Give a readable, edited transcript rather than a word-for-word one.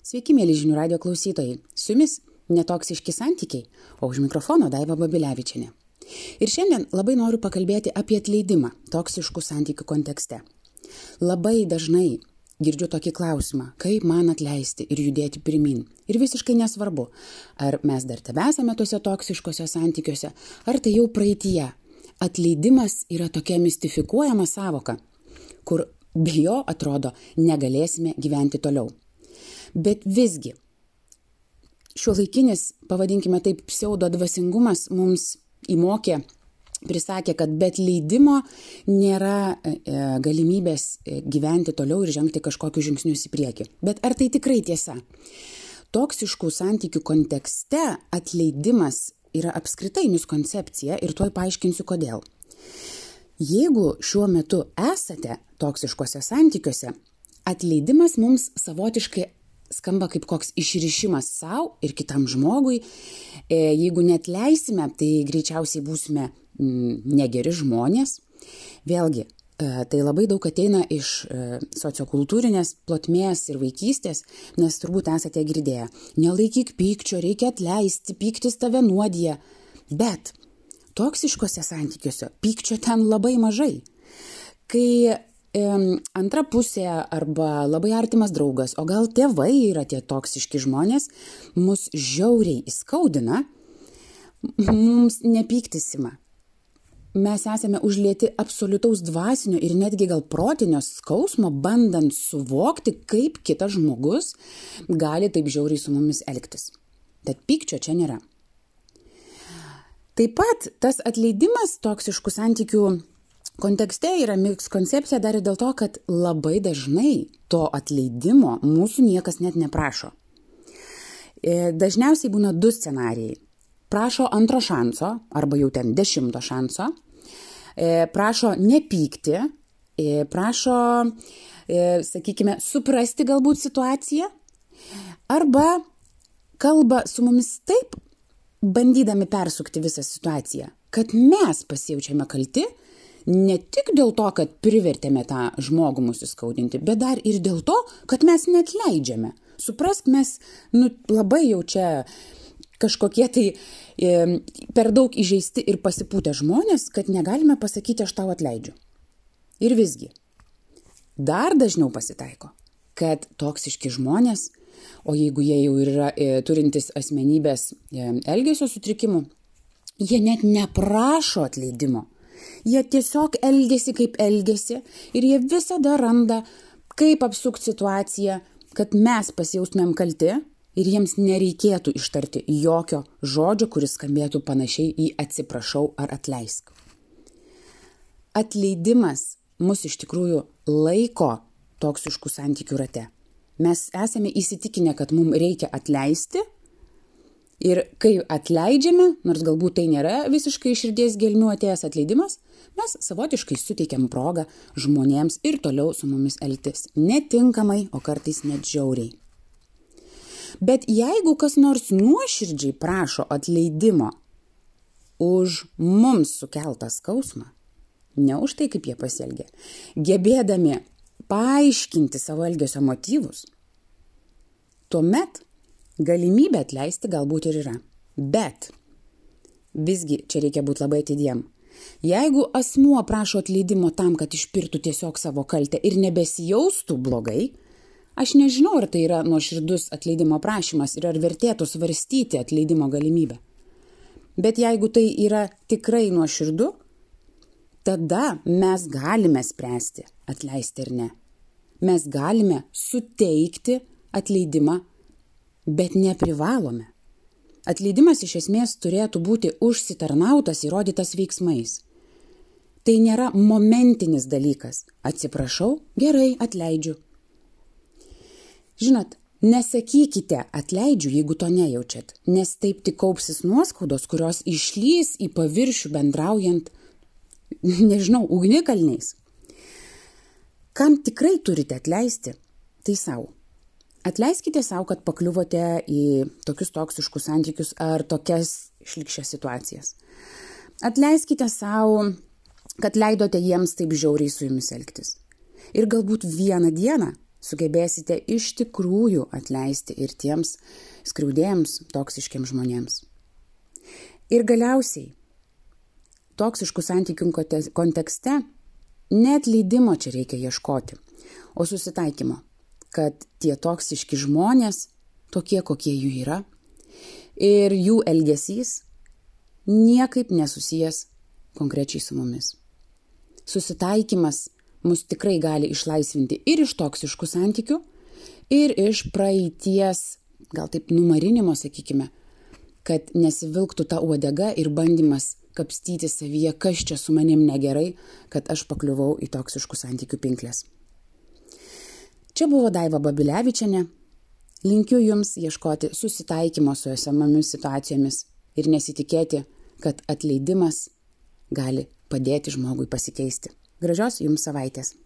Sveiki, mėly Žinių radijo klausytojai. Su jumis netoksiški santykiai, o už mikrofono Daiva Babilevičienė. Ir šiandien labai noriu pakalbėti apie atleidimą toksiškų santykių kontekste. Labai dažnai girdžiu tokį klausimą, kaip man atleisti ir judėti pirmin. Ir visiškai nesvarbu, ar mes dar tebesame tuose toksiškose santykiuose, ar tai jau praeityje. Atleidimas yra tokia mistifikuojama savoka, kur be jo, atrodo, negalėsime gyventi toliau. Bet visgi, šiuolaikinis, pavadinkime taip, pseudodvasingumas mums įmokė, prisakė, kad be atleidimo nėra galimybės gyventi toliau ir žengti kažkokius žingsnius į priekį. Bet ar tai tikrai tiesa? Toksiškų santykių kontekste atleidimas yra apskritai miskoncepcija ir tuoj paaiškinsiu kodėl. Jeigu šiuo metu esate toksiškose santykiuose, atleidimas mums savotiškai skamba kaip koks išrišimas savo ir kitam žmogui. Jeigu neatleisime, tai greičiausiai būsime negeri žmonės. Vėlgi, tai labai daug ateina iš sociokultūrinės plotmės ir vaikystės, nes turbūt esate girdėję. Nelaikyk pykčio, reikia atleisti, pyktis tave nuodija. Bet toksiškose santykiuose pykčio ten labai mažai. Kai antra pusė arba labai artimas draugas, o gal tėvai yra tie toksiški žmonės, mus žiauriai įskaudina, mums nepyktisima. Mes esame užlieti absoliutaus dvasinio ir netgi gal protinio skausmo, bandant suvokti, kaip kitas žmogus gali taip žiauriai su mumis elgtis. Tad pykčio čia nėra. Taip pat tas atleidimas toksiškų santykių kontekste yra miskoncepcija dar ir dėl to, kad labai dažnai to atleidimo mūsų niekas net neprašo. Dažniausiai būna du scenarijai. Prašo antro šanso, arba jau ten 10 šanso. Prašo nepykti, prašo, sakykime, suprasti galbūt situaciją. Arba kalba su mumis taip, bandydami persukti visą situaciją, kad mes pasijaučiame kalti, ne tik dėl to, kad privertėme tą žmogų mūsų įskaudinti, bet dar ir dėl to, kad mes neatleidžiame. Suprask, mes labai jau čia kažkokie tai per daug įžeisti ir pasipūtę žmonės, kad negalime pasakyti, aš tau atleidžiu. Ir visgi, dar dažniau pasitaiko, kad toksiški žmonės, o jeigu jie jau yra turintis asmenybės elgesio sutrikimų, jie net neprašo atleidimo. Jie tiesiog elgiasi kaip elgiasi ir jie visada randa, kaip apsukti situaciją, kad mes pasijaustumėm kalti ir jiems nereikėtų ištarti jokio žodžio, kuris skambėtų panašiai į atsiprašau ar atleisk. Atleidimas mus iš tikrųjų laiko toksiškų santykių rate. Mes esame įsitikinę, kad mums reikia atleisti. Ir kai atleidžiame, nors galbūt tai nėra visiškai iš širdies gelmių atėjęs atleidimas, mes savotiškai suteikiam progą žmonėms ir toliau su mumis elgtis netinkamai, o kartais net žiauriai. Bet jeigu kas nors nuoširdžiai prašo atleidimo už mums sukeltą skausmą, ne už tai, kaip jie pasielgė, gebėdami paaiškinti savo elgesio motyvus, tuomet galimybė atleisti galbūt ir yra. Bet visgi čia reikia būti labai atidiem. Jeigu asmuo prašo atleidimo tam, kad išpirtų tiesiog savo kaltę ir nebesijaustų blogai, aš nežinau, ar tai yra nuoširdus atleidimo prašymas ir ar vertėtų svarstyti atleidimo galimybę. Bet jeigu tai yra tikrai nuoširdu, tada mes galime spręsti atleisti ar ne. Mes galime suteikti atleidimą, bet neprivalome. Atleidimas iš esmės turėtų būti užsitarnautas, įrodytas veiksmais. Tai nėra momentinis dalykas. Atsiprašau, gerai, atleidžiu. Žinot, nesakykite atleidžiu, jeigu to nejaučiat, nes taip tik kaupsis nuoskaudos, kurios išlys į paviršių bendraujant, ugnikalniais. Kam tikrai turite atleisti, tai sau. Atleiskite savo, kad pakliuvote į tokius toksiškus santykius ar tokias šlykščias situacijas. Atleiskite savo, kad leidote jiems taip žiauriai su jumis elgtis. Ir galbūt vieną dieną sugebėsite iš tikrųjų atleisti ir tiems skriaudėjams, toksiškiams žmonėms. Ir galiausiai, toksiškų santykių kontekste neatleidimo čia reikia ieškoti, o susitaikymo, kad tie toksiški žmonės, tokie kokie jų yra, ir jų elgesys niekaip nesusijęs konkrečiai su mumis. Susitaikymas mus tikrai gali išlaisvinti ir iš toksiškų santykių, ir iš praeities, gal taip numarinimo, sakykime, kad nesivilktų ta uodega ir bandymas kapstyti savyje, kas čia su manim negerai, kad aš pakliuvau į toksiškų santykių pinkles. Čia buvo Daiva Babilevičienė. Linkiu jums ieškoti susitaikymo su esamomis situacijomis ir nesitikėti, kad atleidimas gali padėti žmogui pasikeisti. Gražios jums savaitės.